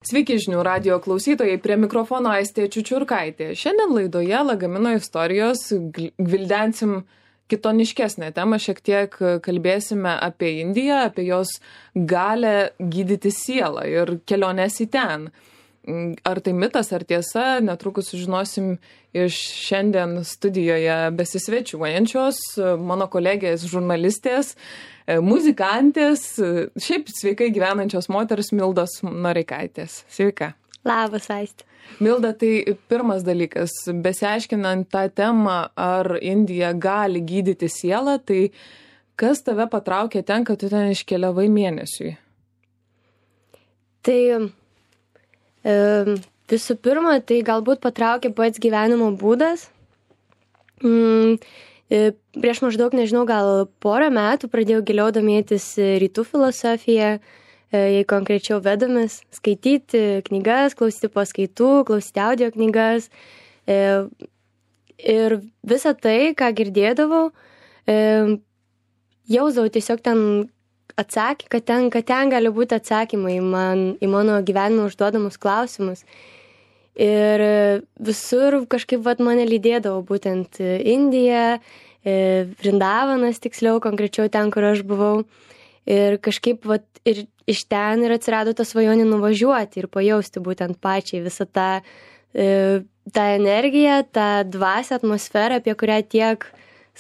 Sveiki žinių radijo klausytojai, prie mikrofono Aistė Čiučiurkaitė. Šiandien laidoje Lagamino istorijos gvildensim kitoniškesnę temą, šiek tiek kalbėsime apie Indiją, apie jos galę gydyti sielą ir keliones į ten. Ar tai mitas, ar tiesa, netrukus sužinosim iš šiandien studijoje besisvečiuojančios mano kolegės žurnalistės, muzikantės, šiaip sveikai gyvenančios moters Mildos Noreikaitės. Sveika. Labas, Aistė. Milda, tai pirmas dalykas, besiaiškinant tą temą, ar Indija gali gydyti sielą, tai kas tave patraukė ten, kad tu ten iškeliavai mėnesiui? Tai visų pirma, tai galbūt patraukė pats gyvenimo būdas. Prieš maždaug, nežinau, gal porą metų pradėjau giliau domėtis rytų filosofiją, jei konkrečiau vedomis, skaityti knygas, klausyti paskaitų, klausyti audio knygas. Ir visą tai, ką girdėdavau, jausdavau tiesiog ten kad ten gali būti atsakymai į mano gyvenimo užduodamus klausimus. Ir visur kažkaip mane lydėdavo būtent Indija, Vrindavanas tiksliau, konkrečiau ten, kur aš buvau. Ir kažkaip ir iš ten ir atsirado ta svajonė nuvažiuoti ir pajausti būtent pačiai visą tą energiją, tą dvasią, atmosferą, apie kurią tiek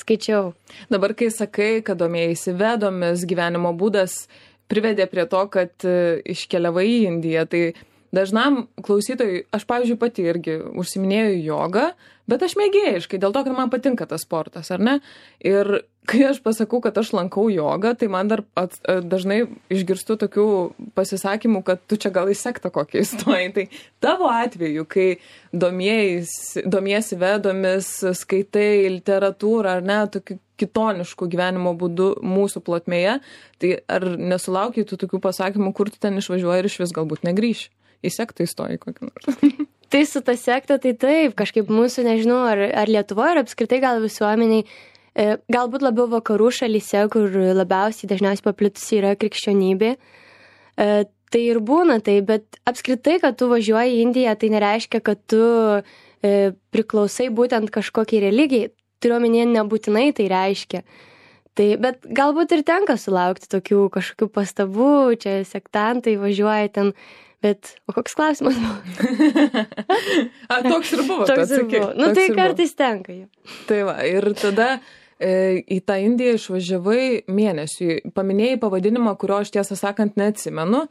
skaičiau. Dabar, kai sakai, kad domėjaisi vedomis, gyvenimo būdas privedė prie to, kad iškeliavai į Indiją, tai dažnam klausytojui, aš pavyzdžiui pati irgi užsiminėjau jogą, bet aš mėgėjiškai, dėl to, kad man patinka tas sportas, ar ne? Ir kai aš pasakau, kad aš lankau jogą, tai man dar dažnai išgirstu tokių pasisakymų, kad tu čia gal į sektą kokį įstoji. Tai tavo atveju, kai domiesi vedomis, skaitai literatūrą, ar ne, tokiu kitonišku gyvenimo būdu mūsų plotmėje, tai ar nesulaukiai tu tokių pasakymų, kur tu ten išvažiuoji ir iš vis galbūt negrįši? Į sektą įstoji kokį nors. Tai su ta sekta, tai taip, kažkaip mūsų, nežinau, ar Lietuvoje, ar apskritai gal visuomeniai, galbūt labiau vakarų šalyse, kur labiausiai dažniausiai paplitusi yra krikščionybė. Tai ir būna tai, bet apskritai, kad tu važiuoji į Indiją, tai nereiškia, kad tu priklausai būtent kažkokiai religijai. Turiuomenėje nebūtinai tai reiškia. Tai, bet galbūt ir tenka sulaukti tokių kažkokių pastabų, čia sektantai važiuoja ten. Bet, o koks klausimas buvo? Toks ir buvo. Toks ir buvo. Nu, tai kartais tenka jau. Tai va, ir tada į tą Indiją išvažiavai mėnesiui. Paminėjai pavadinimą, kurio aš tiesą sakant neatsimenu.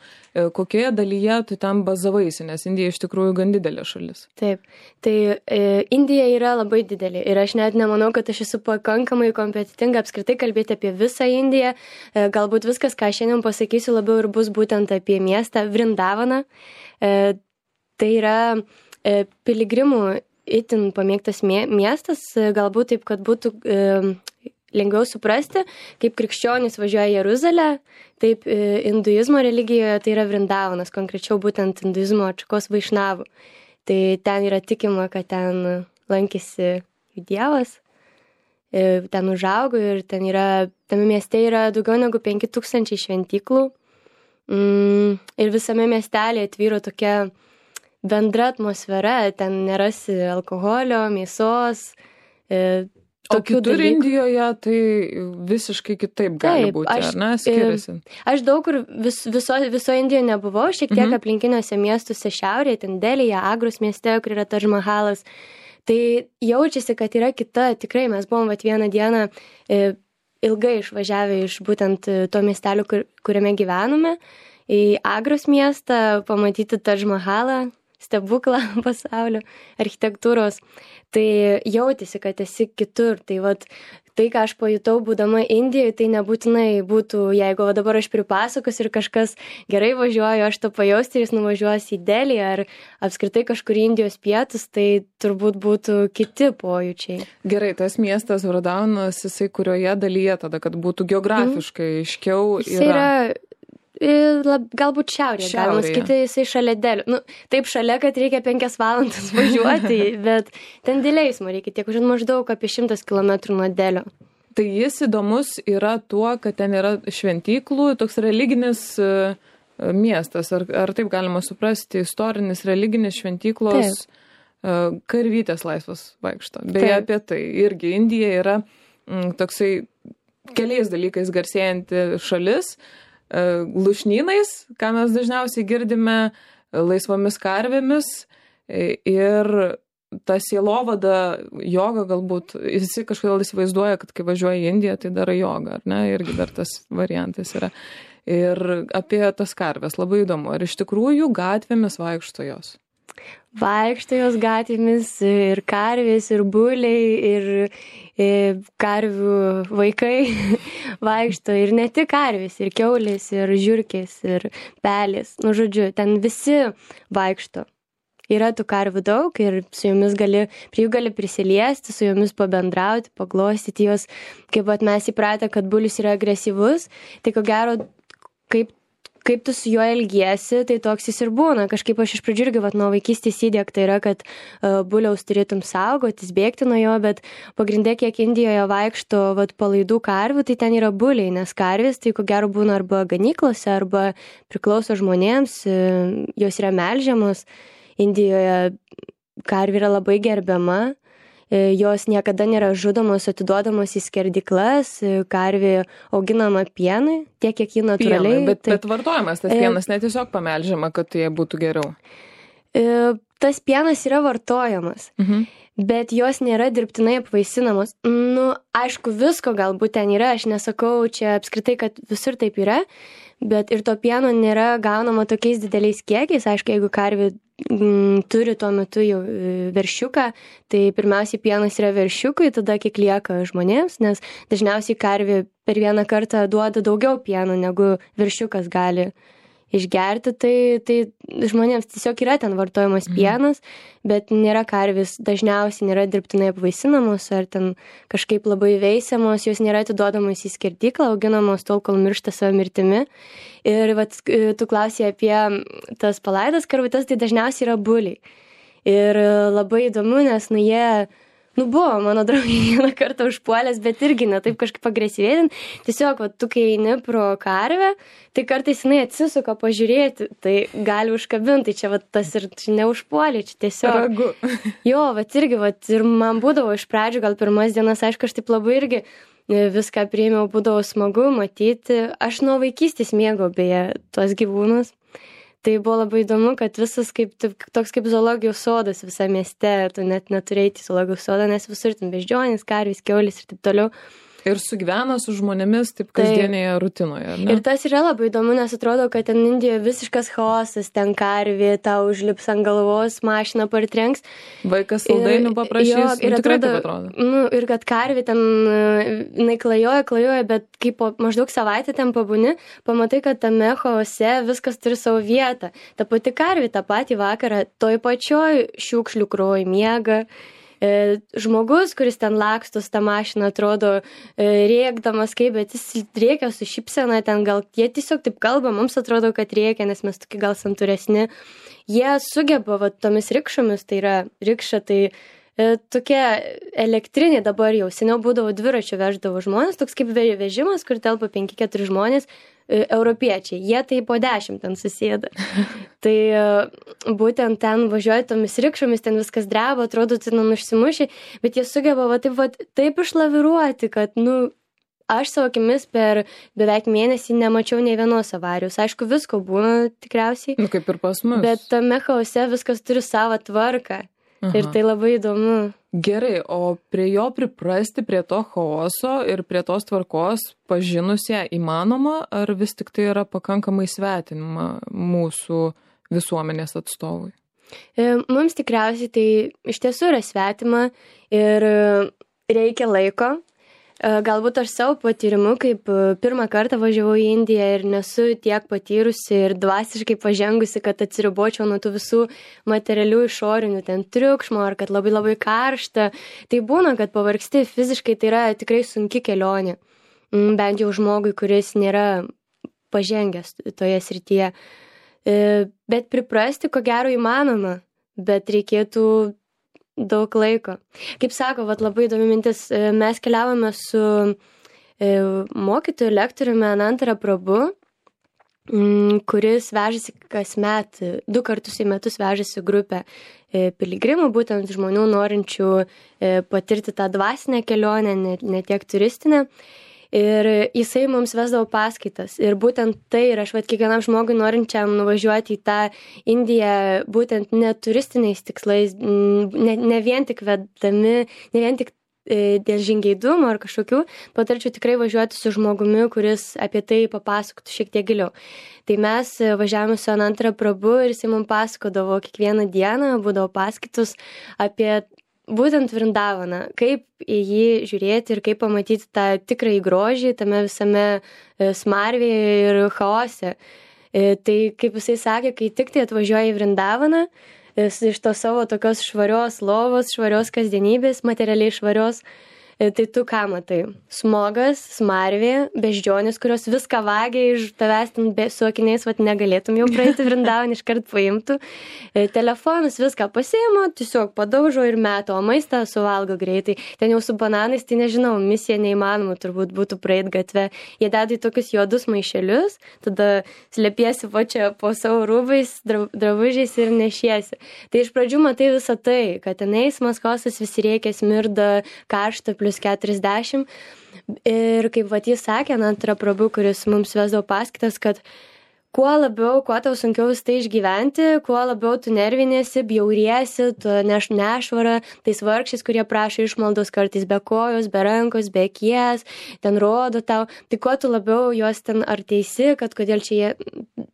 Kokioje dalyje tu ten bazavaisi, nes Indija iš tikrųjų gan didelė šalis. Taip, tai Indija yra labai didelė ir aš net nemanau, kad aš esu pakankamai kompetentinga apskritai kalbėti apie visą Indiją. Galbūt viskas, ką šiandien pasakysiu, labiau ir bus būtent apie miestą Vrindavaną. Tai yra piligrimų itin pamėgtas miestas, galbūt taip, kad būtų lengviau suprasti, kaip krikščionys važiuoja į Jeruzalę, taip hinduizmo religijoje tai yra Vrindavanas, konkrečiau būtent hinduizmo atšakos vaišnavų. Tai ten yra tikima, kad ten lankėsi Dievas, ten užaugo ir tame mieste yra daugiau negu 5000 šventyklų ir visame miestelėje tvyro tokia bendra atmosfera, ten nerasi alkoholio, mėsos, o kitur Indijoje tai visiškai kitaip gali būti, ar ne, skiriasi? Aš daug kur viso Indijoje nebuvau, šiek tiek aplinkiniuose miestuose šiaurėje, ten Delyje, Agros mieste, kur yra Tadž Mahalas. Tai jaučiasi, kad yra kita, tikrai mes buvom vieną dieną ilgai išvažiavę iš būtent to miestelio, kuriame gyvenome, į Agros miestą, pamatyti Tadž Mahalą, stebuklą pasaulio architektūros, tai jautėsi, kad esi kitur. Tai tai, ką aš pajutau būdama Indijoje, tai nebūtinai būtų, jeigu dabar aš pripasakosiu ir kažkas gerai važiuoju, aš to pajausti ir jis nuvažiuos į Delį ar apskritai kažkur Indijos pietus, tai turbūt būtų kiti pojūčiai. Gerai, tas miestas Vrindavanas, jisai kurioje dalyje tada, kad būtų geografiškai aiškiau yra? Galbūt šiaurėje, galima sakyti, jisai šalia Delio. Nu, taip šalia, kad reikia 5 valandas važiuoti, bet ten dėl eismo reikia tiek, maždaug apie 100 km nuo Delio. Tai jis įdomus yra tuo, kad ten yra šventyklų, toks religinis miestas, ar taip galima suprasti, istorinis, religinis, šventyklos, karvytės laisvas vaikšto. Beje, apie tai irgi Indija yra toksai keliais dalykais garsėjanti šalis, lušnynais, ką mes dažniausiai girdime, laisvomis karvėmis ir ta sielovada, joga galbūt, visi kažkodėl įsivaizduoja, kad kai važiuoja į Indiją, tai daro jogą, ar ne, irgi dar tas variantas yra. Ir apie tas karves labai įdomu, ar iš tikrųjų gatvėmis vaikšto jos? Vaikšto jos gatvėmis ir karvės, ir buliai, ir karvių vaikai vaikšto, ir ne tik karvės, ir kiaulės, ir žiurkės, ir pelės, nu žodžiu, ten visi vaikšto. Yra tų karvių daug ir su jomis prie jų gali prisiliesti, su jomis pabendrauti, paglostyti jos, kaip mes įpratę, kad bulius yra agresyvus, tai ko gero, kaip tu su juo elgiesi, tai toks jis ir būna. Kažkaip aš iš pradžių irgi nuo vaikystės įdiegta yra, kad buliaus turėtum saugotis, bėgti nuo jo, bet pagrindė, kiek Indijoje vaikšto palaidų karvių, tai ten yra buliai, nes karvės tai ko gero būna arba ganyklose, arba priklauso žmonėms, jos yra melžiamos. Indijoje karvė yra labai gerbiama, jos niekada nėra žudomos, atiduodamos į skerdyklas, karvė auginama pienui, tiek kiek ji natūraliai. Pienui, bet vartojamas tas pienas, ne tiesiog pamelžiama, kad tai būtų geriau. Tas pienas yra vartojamas, bet jos nėra dirbtinai apvaisinamos. Nu, aišku, visko galbūt ten yra, aš nesakau čia apskritai, kad visur taip yra, bet ir to pieno nėra gaunama tokiais dideliais kiekiais. Aišku, jeigu karvė turi tuo metu jau veršiuką, tai pirmiausiai pienas yra veršiukui, tada kiek lieka žmonėms, nes dažniausiai karvė per vieną kartą duoda daugiau pieno, negu veršiukas gali išgerti, tai žmonėms tiesiog yra ten vartojamas pienas, bet nėra karvės, dažniausiai nėra dirbtinai apvaisinamos ar ten kažkaip labai veisiamos, jos nėra atiduodamos į skerdyklą, auginamos tol, kol miršta savo mirtimi. Ir tu klausai apie tas palaidas karvutes, tai dažniausiai yra buliai. Ir labai įdomu, nes jie buvo mano draugai vieną kartą užpuolęs, bet irgi ne taip kažkaip agresyviai. Tiesiog, tu kai eini pro karvę, tai kartais jinai atsisuka pažiūrėti, tai gali užkabinti, čia tas ir neužpuolė, čia tiesiog. Ragu. Jo, irgi, ir man būdavo iš pradžių, gal pirmas dienas, aišku, aš taip labai irgi viską priėmiau, būdavo smagu matyti. Aš nuo vaikystės mėgau beje tuos gyvūnus. Tai buvo labai įdomu, kad visas toks kaip zoologijos sodas visame mieste, tu net neturėjai į zoologijos sodą, nes visur ten beždžionės, karvės, kiaulės ir taip toliau. Ir sugyvena su žmonėmis taip kasdienėje rutinoje, ne? Ir tas yra labai įdomu, nes atrodo, kad ten Indijoje visiškas chaosas, ten karvė, tau užlips ant galvos, mašina partrenks. Vaikas saldainių paprašys, ir tikrai taip atrodo. Ir kad karvė ten, jinai klajoja, bet kai po maždaug savaitę ten pabūni, pamatai, kad tame chaose viskas turi savo vietą. Ta pati karvė tą patį vakarą toj pačioj šiukšlių krūvoj miega. Žmogus, kuris ten lakstos tą mašiną, atrodo rėkdamas bet jis rėkia su šypsena, ten gal jie tiesiog taip kalba, mums atrodo, kad rėkia, nes mes tokie gal santūresni. Jie sugeba tomis rikšomis, tai yra rikša, tai tokie elektriniai dabar jau, seniau būdavo dviračių veždavo žmonės, toks kaip vežimas, kur telpa 5-4 žmonės, europiečiai, jie tai po 10 ten susėda. Tai būtent ten važiuoja tomis rikšomis, ten viskas dreba, atrodo, ten užsimušė, bet jie sugeba taip išlaviruoti, kad, aš savo akimis per beveik mėnesį nemačiau nei vienos avarijos. Aišku, visko būna tikriausiai. Kaip ir pas mus. Bet tame chaose viskas turi savo tvarką. Aha. Ir tai labai įdomu. Gerai, o prie jo priprasti, prie to chaoso ir prie tos tvarkos pažinusią įmanoma, ar vis tik tai yra pakankamai svetinima mūsų visuomenės atstovui? Mums tikriausiai tai iš tiesų yra svetima ir reikia laiko. Galbūt aš savo patyrimu, kaip pirmą kartą važiavau į Indiją ir nesu tiek patyrusi ir dvasiškai pažengusi, kad atsiribočiau nuo tų visų materialių išorinių ten triukšmo, ar kad labai labai karšta. Tai būna, kad pavargsti fiziškai, tai yra tikrai sunki kelionė. Bent jau žmogui, kuris nėra pažengęs toje srityje. Bet priprasti, ko gero, įmanoma, bet reikėtų daug laiko. Kaip sako, labai įdomi mintis, mes keliavome su mokytoju, lektoriumi Anantara Prabhu kuris vežasi kasmet, 2 kartus į metus vežasi grupę piligrimų, būtent žmonių norinčių patirti tą dvasinę kelionę, ne tiek turistinę. Ir jisai mums vesdavo paskaitas. Ir būtent tai, ir aš kiekvienam žmogui norinčiam nuvažiuoti į tą Indiją, būtent ne turistiniais tikslais, ne vien tik vedami, ne vien tik dėl žingeidumo ar kažkokių, patarčiau tikrai važiuoti su žmogumi, kuris apie tai papasakotų šiek tiek giliau. Tai mes važiavome su Anantara Prabhu ir jisai mums pasakodavo kiekvieną dieną, būdavo paskaitos apie būtent Vrindavaną, kaip į jį žiūrėti ir kaip pamatyti tą tikrąjį grožį tame visame smarvėje ir chaose. Tai kaip jisai sakė, kai tik tai atvažiuoja į Vrindavaną, iš to savo tokios švarios lovos, švarios kasdienybės, materialiai švarios, tai tu ką matai? Smogas, smarvė, beždžionės, kurios viską vagia iš tavęs, su akiniais negalėtum jau praeiti Vrindavan, iškart paimtų. Telefonus viską pasiima, tiesiog padaužo ir meto, o maistą suvalgo greitai. Ten jau su bananais, tai nežinau, misija neįmanoma turbūt būtų praeit gatve. Jie deda į tokius juodus maišelius, tada slėpiesi čia po savo rūbais, drabužiais ir nešiesi. Tai iš pradžių matai visą tai, kad ten eismas, chaosas, visi rėkia, smirda, karšta, +40. Ir kaip jis sakė, Anantara Prabhu, kuris mums vesdavo paskaitas, kad kuo tau sunkiau tai išgyventi, kuo labiau tu nervinėsi, bjauriesi, tu nešvarą, tais vargšiais, kurie prašo išmaldos kartais be kojos, be rankos, be akies, ten rodo tau, tai kuo tu labiau juos ten ar teisi, kad kodėl čia jie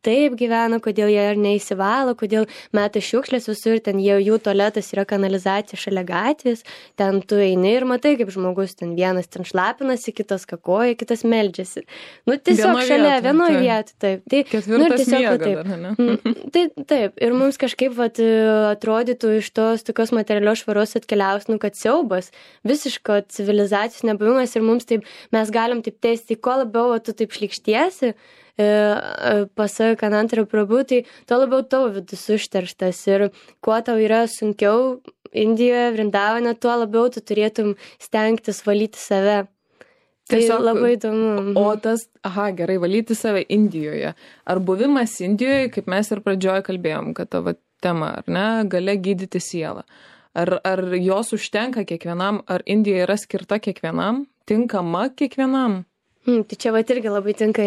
taip gyvena, kodėl jie ar neįsivalo, kodėl meta šiukšlės visur, ten jų tualetas yra kanalizacija šalia gatvės, ten tu eini ir matai, kaip žmogus ten vienas ten šlapinasi, kitas kakoja, kitas meldžiasi. Tiesiog šalia, vienoje vietoje, taip. Tai, Ketvirtas miega dar, ne? Tai taip, ir mums kažkaip atrodytų iš tos tokios materialios švaros atkeliaus, kad siaubas, visiško civilizacijos nebuvimas ir mums taip, mes galim taip teisti, kuo labiau tu taip šlikštiesi, pasak Anantara Prabhu, tai tuo labiau tavo vidus užterštas ir kuo tau yra sunkiau Indijoje, Vrindavane, tuo labiau tu turėtum stengtis valyti save. Tiesiog labai įdomu. O tas, gerai, valyti save Indijoje. Ar buvimas Indijoje, kaip mes ir pradžioje kalbėjom, kad tavo tema, ar ne, galia gydyti sielą. Ar jos užtenka kiekvienam, ar Indija yra skirta kiekvienam, tinkama kiekvienam? Tai čia irgi labai tinka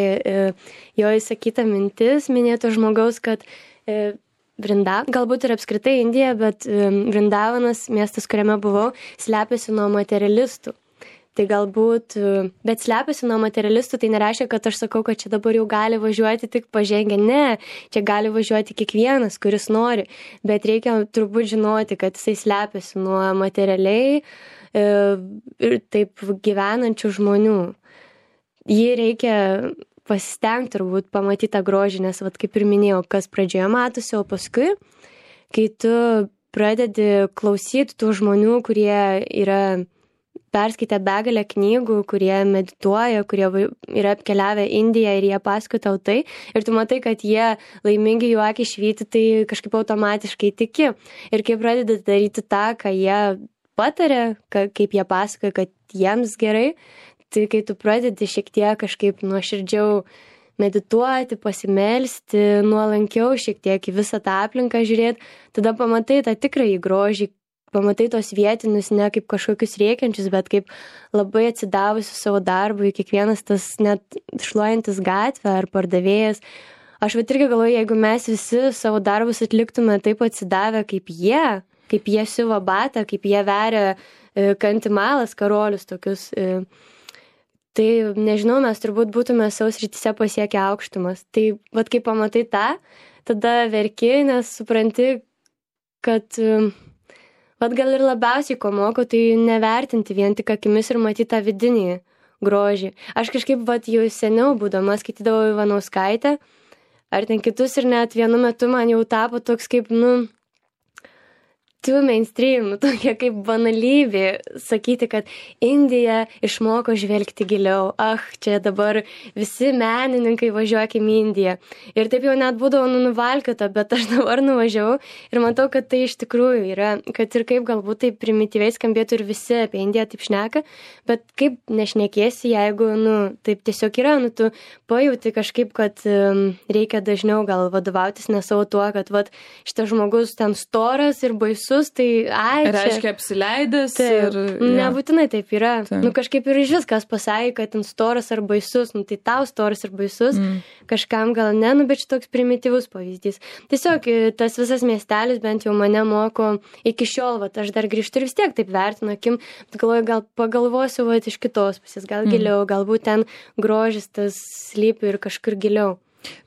jo įsakyta mintis, minėto žmogaus, kad galbūt ir apskritai Indija, bet Vrindavanas, miestas, kuriame buvau, slepiasi nuo materialistų. Tai galbūt, bet slepiasi nuo materialistų, tai nereiškia, kad aš sakau, kad čia dabar jau gali važiuoti tik pažengę. Ne, čia gali važiuoti kiekvienas, kuris nori, bet reikia turbūt žinoti, kad jisai slepiasi nuo materialiai ir taip gyvenančių žmonių. Jį reikia pasistengti turbūt pamatyti tą grožį, nes kaip ir minėjau, kas pradžioje matosi, o paskui, kai tu pradedi klausyti tų žmonių, kurie yra perskaitę begalę knygų, kurie medituoja, kurie yra apkeliavę Indiją ir jie pasakoja tau tai, ir tu matai, kad jie laimingi, jų akys švyti, tai kažkaip automatiškai tiki. Ir kai pradedi daryti tą, ką jie patarė, kaip jie pasakoja, kad jiems gerai, tai kai tu pradedi šiek tiek kažkaip nuoširdžiau medituoti, pasimelsti, nuolankiau šiek tiek į visą tą aplinką žiūrėti, tada pamatai tą tikrąjį grožį, pamatai tos vietinius ne kaip kažkokius rėkiančius, bet kaip labai atsidavusius savo darbui, kiekvienas tas net šluojantis gatvę ar pardavėjas. Aš irgi galvoju, jeigu mes visi savo darbus atliktume taip atsidavę kaip jie siuva batą, kaip jie veria kantimalas, karolius tokius, tai nežinau, mes turbūt būtume savo srityse pasiekę aukštumas. Tai kai pamatai tą, tada verki, nes supranti, kad gal ir labiausiai ko moko, tai nevertinti vien tik akimis ir matyti tą vidinį grožį. Aš kažkaip jau seniau būdama skaitydavau Ivanauskaitę, ar ten kitus ir net vienu metu man jau tapo toks kaip, too mainstream, tokia kaip banalybė sakyti, kad Indija išmoko žvelgti giliau. Čia dabar visi menininkai važiuokim į Indiją. Ir taip jau net būdavo nuvalkiota, bet aš dabar nuvažiavau ir matau, kad tai iš tikrųjų yra, kad ir kaip galbūt taip primityviai skambėtų ir visi apie Indiją taip šneka, bet kaip nešnekėsi, jeigu, taip tiesiog yra, tu pajauti kažkaip, kad reikia dažniau gal vadovautis ne savo tuo, kad šitas žmogus ten storas ir baisus, tai reiškia apsileidęs. Nebūtinai taip yra. Kažkaip ir iš viskas pasakė, kad ten storas ar baisus, tai tau storas ar baisus, kažkam gal ne, bet šitoks primityvus pavyzdys. Tiesiog tas visas miestelis bent jau mane moko iki šiol, aš dar grįžtu ir vis tiek taip vertinu akim, galvoju, gal pagalvosiu iš kitos pusės, gal giliau, galbūt ten grožis tas slypi ir kažkur giliau.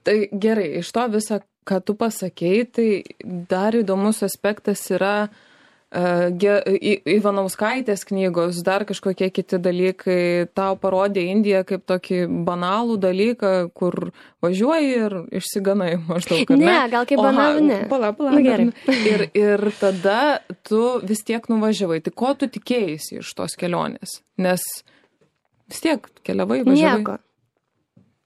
Tai gerai, iš to visą, ką tu pasakei, tai dar įdomus aspektas yra Ivanauskaitės knygos, dar kažkokie kiti dalykai. Tau parodė Indiją kaip tokį banalų dalyką, kur važiuoji ir išsiganai maždaug. Ne, gal kaip banalų, ne. Pala. Ir tada tu vis tiek nuvažiavai. Tai ko tu tikėjaisi iš tos kelionės? Nes vis tiek keliavai, važiavai.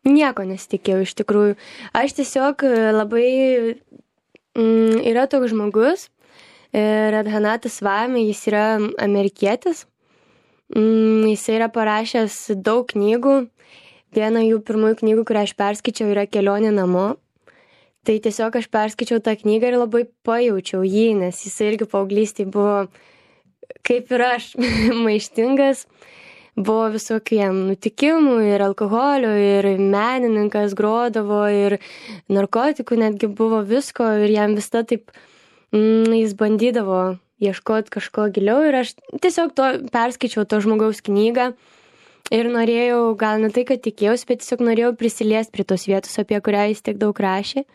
Nieko nesitikėjau iš tikrųjų. Aš tiesiog labai yra toks žmogus, Radhanatas Swami, jis yra amerikietis. Jis yra parašęs daug knygų. Viena jų pirmųjų knygų, kurią aš perskaičiau, yra Kelionė namo. Tai tiesiog aš perskaičiau tą knygą ir labai pajaučiau jį, nes jis irgi paauglystėje buvo, kaip ir aš, maištingas. Buvo visokių jam nutikimų ir alkoholio, ir menininkas grodavo, ir narkotikų netgi buvo visko, ir jam visada taip jis bandydavo ieškoti kažko giliau, ir aš tiesiog perskaičiau to žmogaus knygą ir norėjau, gal ne tai, kad tikėjausi, bet tiesiog norėjau prisiliesti prie tos vietos, apie kurią jis tiek daug rašė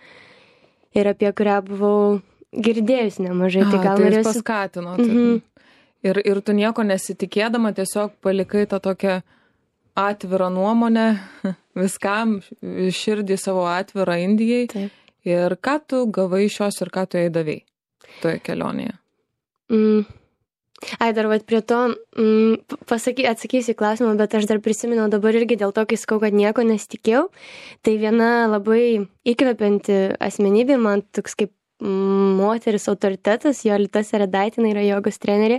ir apie kurią buvau girdėjus nemažai. Tai gal norėsiu... Tai paskatino. Ir tu nieko nesitikėdama tiesiog palikai tą tokią atvirą nuomonę viskam, širdį savo atvirą Indijai. Taip. Ir ką tu gavai iš jos ir ką tu jai davei toje kelionėje? Dar prie to atsakysiu į klausimą, bet aš dar prisiminiau dabar irgi dėl to, kai sakau, kad nieko nesitikėjau. Tai viena labai įkvepianti asmenybė, man toks kaip moteris autoritetas, Jolita Seredaitinė yra jogos trenerė.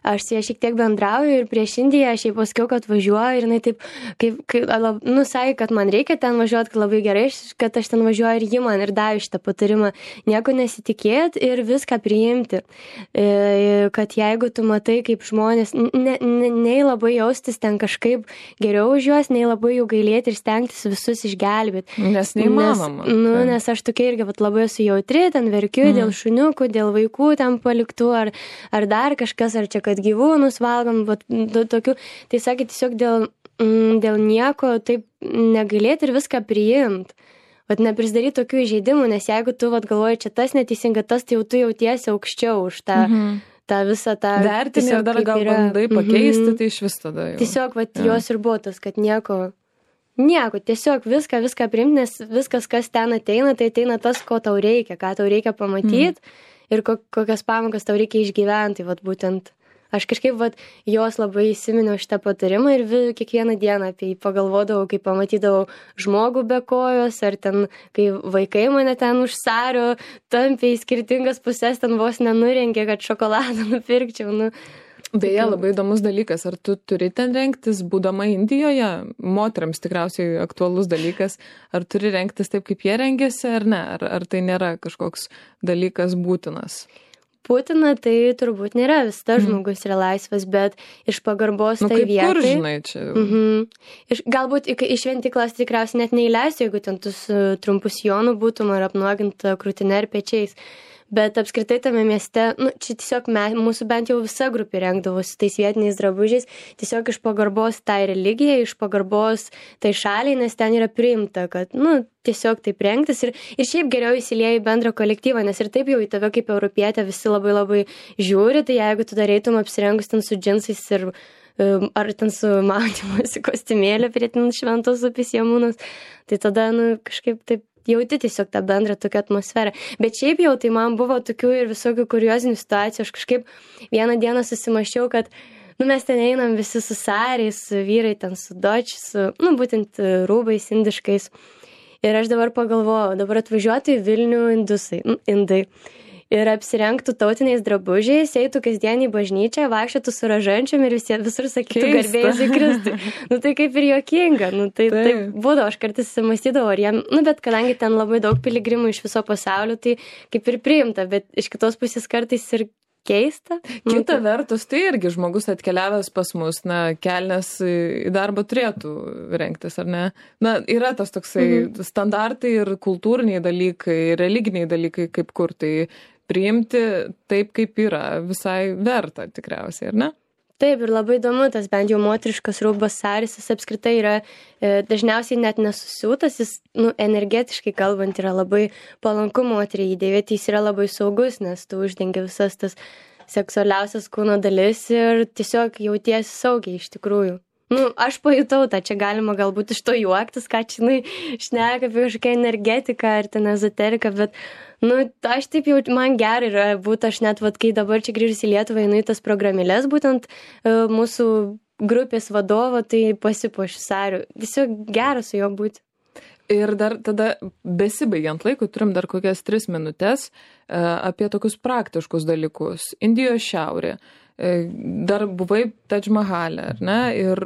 Aš su ja šiek tiek bendrauju ir prieš Indiją aš jai pasakiau, kad važiuoju ir jinai taip, sakė, kad man reikia ten važiuoti, kad labai gerai, kad aš ten važiuoju ir ji man ir davė šitą patarimą. Nieko nesitikėti ir viską priimti. Kad jeigu tu matai, kaip žmonės, nei labai jaustis ten kažkaip geriau už juos, nei labai jų gailėti ir stengtis visus išgelbėti. Nes neįmanoma. Nes aš tokia irgi labai esu jautri, ten verkiu dėl šuniukų, dėl vaikų ten paliktų, ar dar kažkas, ar čia kad gyvūnus valgom, tokių, tai sakė tiesiog dėl nieko taip negailėti ir viską priimti. Neprisidaryti tokių įžeidimų, nes jeigu tu galvoji, čia tas neteisinga, tas, tai jau tu jautiesi aukščiau už tą visą tą... Vertinį ir dar gal bandai pakeisti, tai iš vis tada jau. Tiesiog, jos ir buvo tas, kad nieko, tiesiog viską priimti, nes viskas, kas ten ateina, tai ateina tas, ko tau reikia, ką tau reikia pamatyti ir kokias pamokas tau reikia išgyventi, būtent. Aš kažkaip jos labai įsiminiau šitą patarimą ir kiekvieną dieną apie jį pagalvodavau, kai pamatydavau žmogų be kojos, ar ten, kai vaikai mane ten už sario tampė į skirtingas pusės, ten vos nenurengė, kad šokoladą nupirkčiau. Beje, labai įdomus dalykas, ar tu turi ten rengtis, būdama Indijoje, moteriams tikriausiai aktualus dalykas, ar turi rengtis taip, kaip jie rengėsi, ar ne, ar tai nėra kažkoks dalykas būtinas? Būtina, tai turbūt nėra, visada žmogus yra laisvas, bet iš pagarbos tai vietai. Kur žinai čia? Galbūt iš šventyklos tikriausiai net neįleisiu, jeigu ten tu trumpus sijonų būtum ar apnuoginta krūtinė ir pečiais. Bet apskritai tame mieste, čia tiesiog mūsų bent jau visa grupė rengdavosi tais vietiniais drabužiais, tiesiog iš pagarbos tai religijai, iš pagarbos tai šaliai, nes ten yra priimta, kad, tiesiog taip rengtis ir šiaip geriau įsilieja į bendrą kolektyvą, nes ir taip jau į tave kaip europietę visi labai labai žiūri, tai jeigu tu dareitum apsirengus ten su džinsais ir ar ten su maudymosi kostiumėliu prie ten šventos upės Jamunos, tai tada, kažkaip taip jauti tiesiog tą bendrą tokią atmosferą. Bet šiaip jau tai man buvo tokių ir visokių kuriozinių situacijų. Aš kažkaip vieną dieną susimaščiau, kad mes ten einam visi su sariais, vyrai ten su doč, su, būtent rūbais indiškais. Ir aš dabar pagalvojau, dabar atvažiuotų į Vilnių indai. Ir apsirengtų tautiniais drabužiais, eitų kasdien į bažnyčią, vaikščiotų su rožančiom ir visur sakytų garbėjus į Kristų. Tai kaip ir juokinga. Tai būdavo, aš kartais mąstydavau, ar jiem, bet kadangi ten labai daug piligrimų iš viso pasaulio, tai kaip ir priimta, bet iš kitos pusės kartais ir keista. Kita vertus, tai irgi žmogus atkeliavęs pas mus, kelnes į darbą turėtų rengtis, ar ne? Yra tas toksai standartai ir kultūriniai dalykai, religiniai dalykai, kaip kur tai priimti taip, kaip yra, visai verta tikriausiai, ar ne? Taip, ir labai įdomu, tas bent jau moteriškas rūbas saris, jis apskritai yra dažniausiai net nesusiūtas, jis energetiškai kalbant yra labai palanku moteriai įdėvėti, jis yra labai saugus, nes tu uždengi visas tas seksualiausias kūno dalis ir tiesiog jautiesi saugiai iš tikrųjų. Aš pajutau tą, čia galima galbūt iš to juoktis, ką čia šneka apie kažkokią energetiką ar ten ezoteriką, bet aš taip jau, man gerai yra būti, aš net, kai dabar čia grįžus į Lietuvą, einu į tas programėlės, būtent mūsų grupės vadovo, tai pasipuošiu sariu. Tiesiog gera su juo būti. Ir dar tada, besibaigiant laikui, turim dar kokias 3 minutės apie tokius praktiškus dalykus. Indijos šiaurė. Dar buvai Tadž Mahale, ar ne? Ir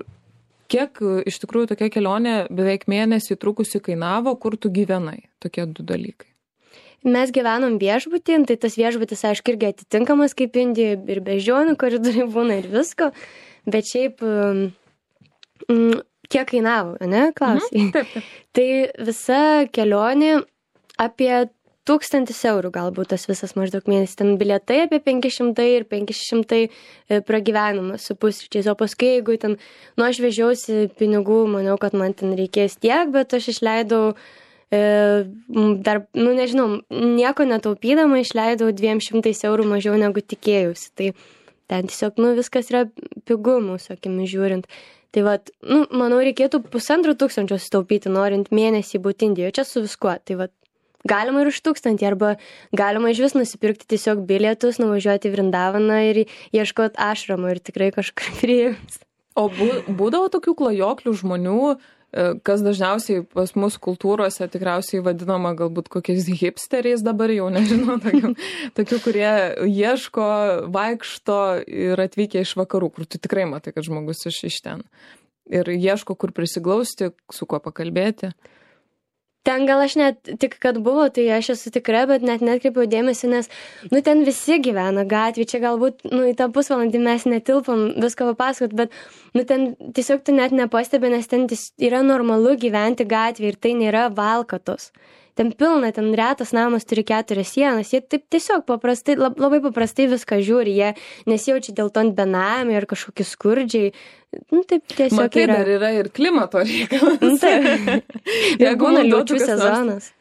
kiek iš tikrųjų tokia kelionė beveik mėnesį trukusi kainavo, kur tu gyvenai? Tokie 2 dalykai. Mes gyvenom viešbutį, tai tas viešbutis, aišku, irgi atitinkamas kaip Indijoje, ir beždžionių koridoriai būna ir visko, bet šiaip kiek kainavo, ne, klausai? Taip. Tai visa kelionė apie 1000 eurų galbūt tas visas maždaug mėnesį. Ten bilietai apie 500 ir 500 pragyvenimas su pusryčiais. O paskui, jeigu ten, aš vežiausi pinigų, maniau, kad man ten reikės tiek, bet aš išleidau dar, nežinau, nieko netaupydama išleidau 200 eurų mažiau negu tikėjausi. Tai ten tiesiog, viskas yra pigu mūsų akimis žiūrint. Tai manau, reikėtų 1500 sutaupyti, norint mėnesį būti Indijoje, čia su viskuo. Tai galima ir už 1000, arba galima iš vis nusipirkti tiesiog bilietus, nuvažiuoti į Vrindavaną ir ieškoti ašramo ir tikrai kažkur priims. O būdavo tokių klajoklių žmonių, kas dažniausiai pas mus kultūrose tikriausiai vadinama galbūt kokiais hipsteriais dabar, jau nežinau, tokių, kurie ieško, vaikšto ir atvykę iš vakarų, kur tu tikrai matai, kad žmogus iš ten. Ir ieško, kur prisiglausti, su kuo pakalbėti. Ten gal aš net tik, kad buvo, tai aš esu tikra, bet net netkreipiau dėmesį, nes, ten visi gyvena gatvį, čia galbūt, į tą pusvalandį mes netilpam visko papasakot, bet, ten tiesiog tu net nepastebi, nes ten yra normalu gyventi gatvį ir tai nėra valkatos. Ten pilna, ten retas namas turi 4 sienas, jie taip tiesiog paprastai, labai paprastai viską žiūri, jie nesijaučia dėl to benamiai ar kažkokie skurdžiai. Taip tiesiog matai, yra. Dar yra ir klimato reikalas. Taip. Būna liūčių sezonas.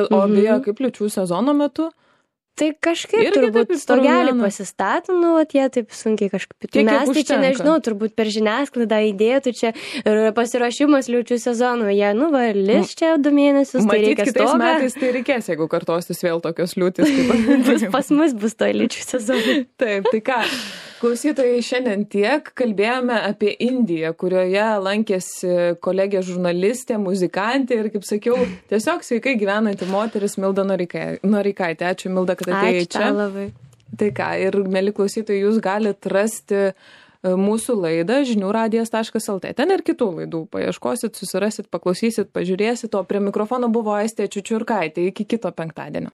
O beje, kaip liūčių sezono metu? Tai kažkaip turbūt stogelį pasistato, jie taip sunkiai kažkaip. Mes tai čia nežinau, turbūt per žiniasklaidą įdėtų čia ir pasiruošimas liūčių sezonų. Jie, lis čia 2 mėnesius, tai reikia stogą. Kitais metais tai reikės, jeigu kartosis vėl tokios liūtis. Pas mus bus to liūčių sezonų. Taip, tai ką, klausytojai, šiandien tiek kalbėjome apie Indiją, kurioje lankėsi kolegė žurnalistė, muzikantė ir, kaip sakiau, tiesiog sveikai gyvenanti moteris Milda Noreikaitė. Ačiū, Milda, kad atėjai čia. Ačiū labai. Tai ką, ir mėly klausytojai, jūs galite rasti mūsų laidą žiniųradijas.lt. Ten ir kitų laidų paieškosit, susirasit, paklausysit, pažiūrėsit. O prie mikrofono buvo Aistė Čiučiurkaitė. Iki kito penktadienio.